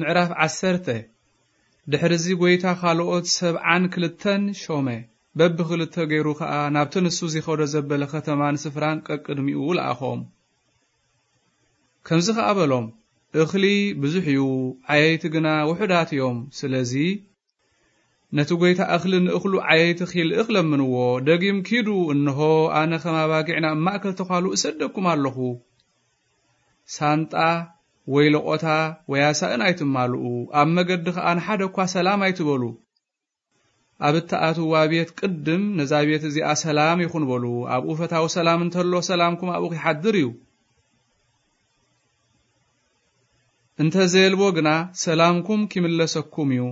ምዕራፍ ዓሰርተ። ድሕርዚ ጐይታ ካልኦት ሰብዓን ክልተን ሾመ። በብኽልተ ገይሩ ኸኣ ናብቲ ንሱ ዚኸዶ ዘበለ ኸተማን ስፍራን ቀቅድሚኡ ለኣኾም። ከምዚ ኸኣ በሎም፣ እኽሊ ብዙሕ እዩ፣ ዓየይቲ ግና ውሑዳት እዮም። ስለዚ ነቲ ጐይታ እኽሊ ንእኽሉ ዓየይቲ ኺልእኽ ለምንዎ። ደጊም ኪዱ፣ እንሆ፣ ኣነ ኸም ኣባጊዕ ናብ ማእከል ተዃሉ እሰደኩም ኣለኹ። ሳንጣ ወይ ለቖታ ወይ ኣሳእን ኣይትማልኡ። ኣብ መገዲ ኸኣ ንሓደ እኳ ሰላም ኣይትበሉ። ኣብ እትኣትዋ ቤት ቅድም ነዛ ቤት እዚኣ ሰላም ይኹን በሉ። ኣብኡ ፈታዊ ሰላም እንተሎ ሰላምኩም ኣብኡ ኺሓድር እዩ። እንተ ዘየልቦ ግና ሰላምኩም ኪምለሰኩም እዩ።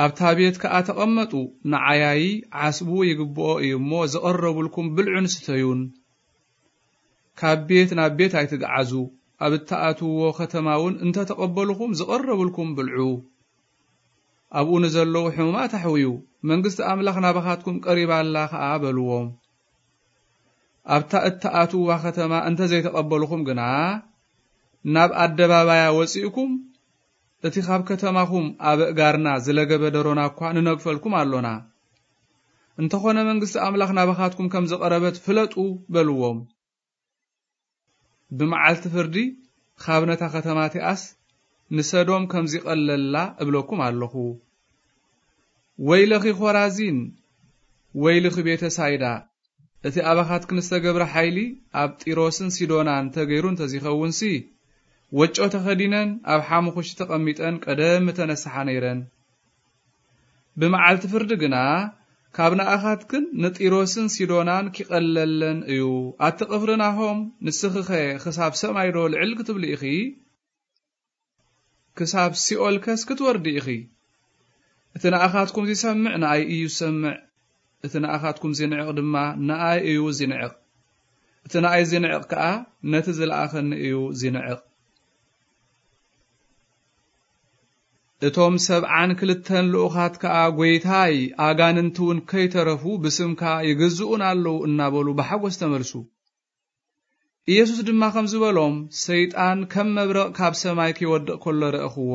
ኣብታ ቤት ከኣ ተቐመጡ። ንዓያዪ ዓስቡ ይግብኦ እዩ እሞ፣ ዝቐረቡልኩም ብልዑን ስተዩን። ካብ ቤት ናብ ቤት ኣይትግዓዙ። ኣብ እትኣትውዎ ኸተማ እውን እንተ ተቐበሉኹም፣ ዝቐረቡልኩም ብልዑ። ኣብኡ ንዘለዉ ሕሙማት ኣሕውዩ፣ መንግስቲ ኣምላኽ ናባኻትኩም ቀሪባ ኣላ ኸኣ በልዎም። ኣብታ እትኣትውዋ ኸተማ እንተ ዘይተቐበሉኹም ግና፣ ናብ ኣደባባያ ወጺእኩም፣ እቲ ኻብ ከተማኹም ኣበእጋርና ዝለገበ ደሮና እኳ ንነግፈልኩም ኣሎና። እንተኾነ መንግስቲ ኣምላኽ ናባኻትኩም ከም ዝቐረበት ፍለጡ በልዎም። ብመዓልቲ ፍርዲ ኻብ ነታ ኸተማ እቲኣስ ንሰዶም ከም ዚቐለላ እብለኩም ኣለኹ። ወይለኺ ኾራዚን፣ ወይልኺ ቤተ ሳይዳ፣ እቲ ኣባኻትክን ዝተገብረ ሓይሊ ኣብ ጢሮስን ሲዶናን ተገይሩ እንተ ዚኸውንሲ፣ ወጮ ተኸዲነን ኣብ ሓሙኹሽቲ ተቐሚጠን ቀደም ምተነስሓ ነይረን። ብመዓልቲ ፍርዲ ግና ካብ ንኣኻትክን ንጢሮስን ሲዶናን ኪቐለለን እዩ። ኣቲ ቕፍርናሆም፣ ንስኺኸ ኽሳብ ሰማይዶ ልዕል ክትብሊ ኢኺ? ክሳብ ሲኦልከስ ክትወርዲ ኢኺ? እቲ ንኣኻትኩም ዚሰምዕ ንኣይ እዩ ዝሰምዕ፣ እቲ ንኣኻትኩም ዚንዕቕ ድማ ንኣይ እዩ ዚንዕቕ። እቲ ንኣይ ዚንዕቕ ከኣ ነቲ ዝለኣኸኒ እዩ ዚንዕቕ። እቶም ሰብዓን ክልተን ልኡኻት ከኣ፣ ጐይታይ፣ ኣጋንንቲ እውን ከይተረፉ ብስምካ ይግዝኡና ኣለዉ እናበሉ ብሓጐስ ተመልሱ። ኢየሱስ ድማ ከምዚ በሎም፣ ሰይጣን ከም መብረቕ ካብ ሰማይ ኪወድቕ ከሎ ረእኽዎ።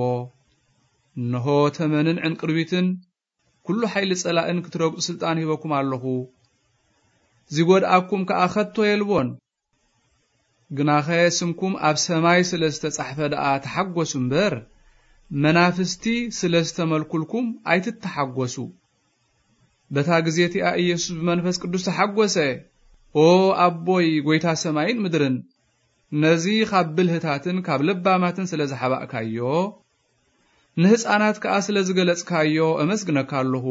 እንሆ፣ ተመንን ዕንቅርቢትን፣ ኩሉ ሓይሊ ጸላእን ክትረግጹ ስልጣን ሂበኩም ኣለኹ። ዚጐድኣኩም ከኣ ኸቶ የልቦን። ግናኸ ስምኩም ኣብ ሰማይ ስለ ዝተጻሕፈ ደኣ ተሓጐሱ እምበር፣ መናፍስቲ ስለ ዝተመልኩልኩም ኣይትተሓጐሱ። በታ ግዜ እቲኣ ኢየሱስ ብመንፈስ ቅዱስ ተሓጐሰ። ኦ ኣቦይ፣ ጐይታ ሰማይን ምድርን፣ ነዚ ኻብ ብልህታትን ካብ ለባማትን ስለ ዝሓባእካዮ፣ ንህፃናት ከኣ ስለ ዝገለጽካዮ እመስግነካ ኣለኹ።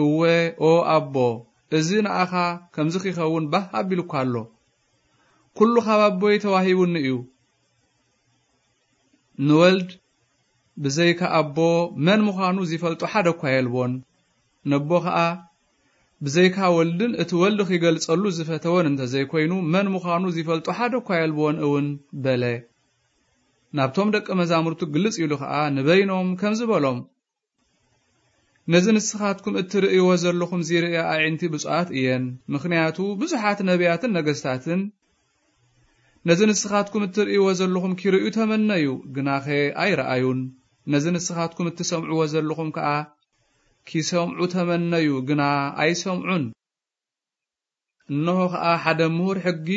እወ፣ ኦ ኣቦ፣ እዚ ንኣኻ ከምዚ ኺኸውን ባህ ኣቢሉካ ኣሎ። ኩሉ ኻብ ኣቦይ ተዋሂቡኒ እዩ። ንወልድ ብዘይካ ኣቦ መን ምዃኑ ዚፈልጦ ሓደ እኳ የልቦን። ነቦ ኸኣ ብዘይካ ወልድን እቲ ወልድ ኺገልጸሉ ዝፈተወን እንተ ዘይኮይኑ፣ መን ምዃኑ ዚፈልጦ ሓደ እኳ የልቦን እውን በለ። ናብቶም ደቀ መዛሙርቱ ግልጽ ኢሉ ኸኣ ንበይኖም ከምዚ በሎም፣ ነዚ ንስኻትኩም እትርእይዎ ዘለኹም ዚርእያ ኣዒንቲ ብፁዓት እየን። ምኽንያቱ ብዙሓት ነቢያትን ነገስታትን ነዚ ንስኻትኩም እትርእይዎ ዘለኹም ኪርእዩ ተመነዩ፣ ግናኸ ኣይረኣዩን። ነዚ ንስኻትኩም እትሰምዕዎ ዘለኹም ከኣ ኪሰምዑ ተመነዩ፣ ግና ኣይሰምዑን። እንሆ ኸኣ ሓደ ምሁር ሕጊ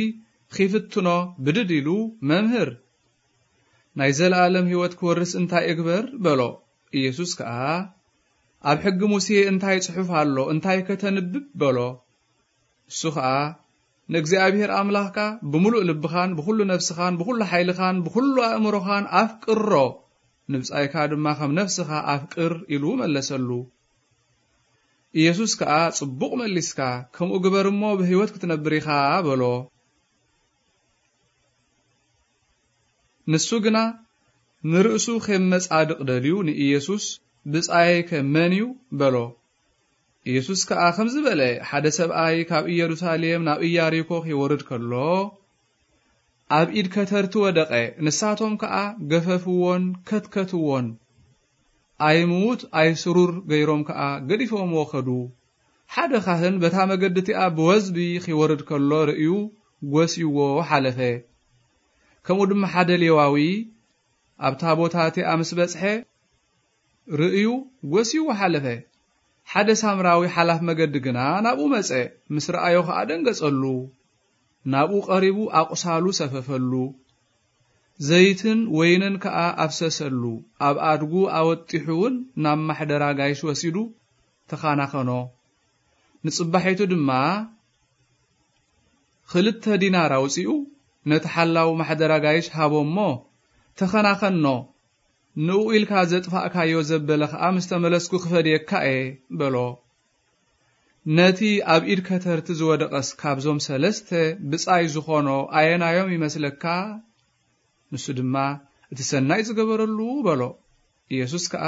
ኺፍትኖ ብድድ ኢሉ፣ መምህር፣ ናይ ዘለኣለም ህይወት ክወርስ እንታይ እግበር? በሎ። ኢየሱስ ከኣ፣ ኣብ ሕጊ ሙሴ እንታይ ጽሑፍ ኣሎ? እንታይ ከተንብብ? በሎ። እሱ ኸኣ፣ ንእግዚኣብሔር ኣምላኽካ ብምሉእ ልብኻን ብኹሉ ነፍስኻን ብኹሉ ሓይልኻን ብኹሉ ኣእምሮኻን ኣፍቅሮ፣ ንብጻይካ ድማ ከም ነፍስኻ ኣፍቅር ኢሉ መለሰሉ። ኢየሱስ ከኣ፣ ጽቡቕ መሊስካ፣ ከምኡ ግበር እሞ ብህይወት ክትነብር ኢኻ በሎ። ንሱ ግና ንርእሱ ኼብ መጻድቕ ደልዩ ንኢየሱስ፣ ብጻየይከ መን እዩ? በሎ። ኢየሱስ ከኣ ከምዚ በለ፣ ሓደ ሰብኣይ ካብ ኢየሩሳሌም ናብ ኢያሪኮ ኺወርድ ከሎ፣ ኣብ ኢድ ከተርቲ ወደቐ። ንሳቶም ከኣ ገፈፍዎን ከትከትዎን፣ ኣይምዉት ኣይስሩር ገይሮም ከኣ ገዲፎምዎ ኸዱ። ሓደ ኻህን በታ መገዲ እቲኣ ብወዝቢ ኺወርድ ከሎ ርእዩ ጐስይዎ ሓለፈ። ከምኡ ድማ ሓደ ሌዋዊ ኣብታ ቦታ እቲኣ ምስ በጽሐ፣ ርእዩ፣ ጎስይዎ ሓለፈ። ሓደ ሳምራዊ ሓላፍ መገዲ ግና ናብኡ መጸ፣ ምስ ረኣዮ ኸኣ ደንገጸሉ። ናብኡ ቀሪቡ ኣቑሳሉ ሰፈፈሉ። ዘይትን ወይንን ከኣ ኣፍሰሰሉ። ኣብ ኣድጉ ኣወጢሑ እውን ናብ ማሕደር ኣጋይሽ ወሲዱ ተኻናኸኖ። ንጽባሒቱ ድማ ክልተ ዲናር ኣውጺኡ ነቲ ሓላው ማሕደር ኣጋይሽ ሃቦ እሞ፣ "ተኸናኸኖ፣ ንኡ ኢልካ ዘጥፋእካዮ ዘበለ ኸኣ ምስ ተመለስኩ ክፈድየካ እየ" በሎ። "ነቲ ኣብ ኢድ ከተርቲ ዝወደቐስ ካብዞም ሰለስተ ብጻይ ዝኾኖ ኣየናዮም ይመስለካ?" ንሱ ድማ፣ "እቲ ሰናይ ዝገበረሉ" በሎ። ኢየሱስ ከኣ፣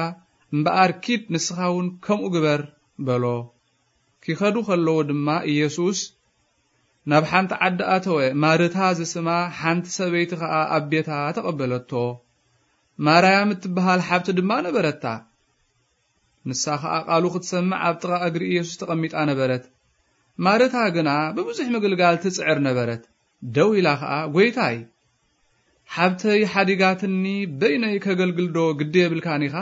"እምበኣር ኪድ ንስኻ እውን ከምኡ ግበር" በሎ። ኪኸዱ ከለዉ ድማ ኢየሱስ ናብ ሓንቲ ዓዲ ኣተወ። ማርታ ዝስማ ሓንቲ ሰበይቲ ኸኣ ኣብ ቤታ ተቐበለቶ። ማርያም እትበሃል ሓብቲ ድማ ነበረታ። ንሳ ኸኣ ቃሉ ክትሰምዕ ኣብ ጥቓ እግሪ ኢየሱስ ተቐሚጣ ነበረት። ማርታ ግና ብብዙሕ ምግልጋል ትጽዕር ነበረት። ደው ኢላ ኸኣ፣ "ጐይታይ፣ ሓብተይ ሓዲጋትኒ በይነይ ከገልግልዶ ግዲ የብልካን ኢኻ?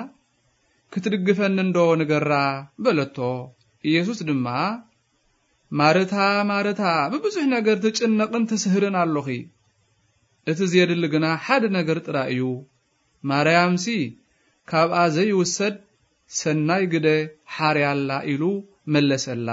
ክትድግፈኒ እንዶ ንገራ" በለቶ። ኢየሱስ ድማ፣ "ማርታ፣ ማርታ፣ ብብዙሕ ነገር ትጭነቕን ትስህርን ኣሎኺ። እቲ ዜድሊ ግና ሓደ ነገር ጥራይ እዩ። ማርያምሲ ካብኣ ዘይውሰድ ሰናይ ግደ ሓርያ ኣላ" ኢሉ መለሰላ።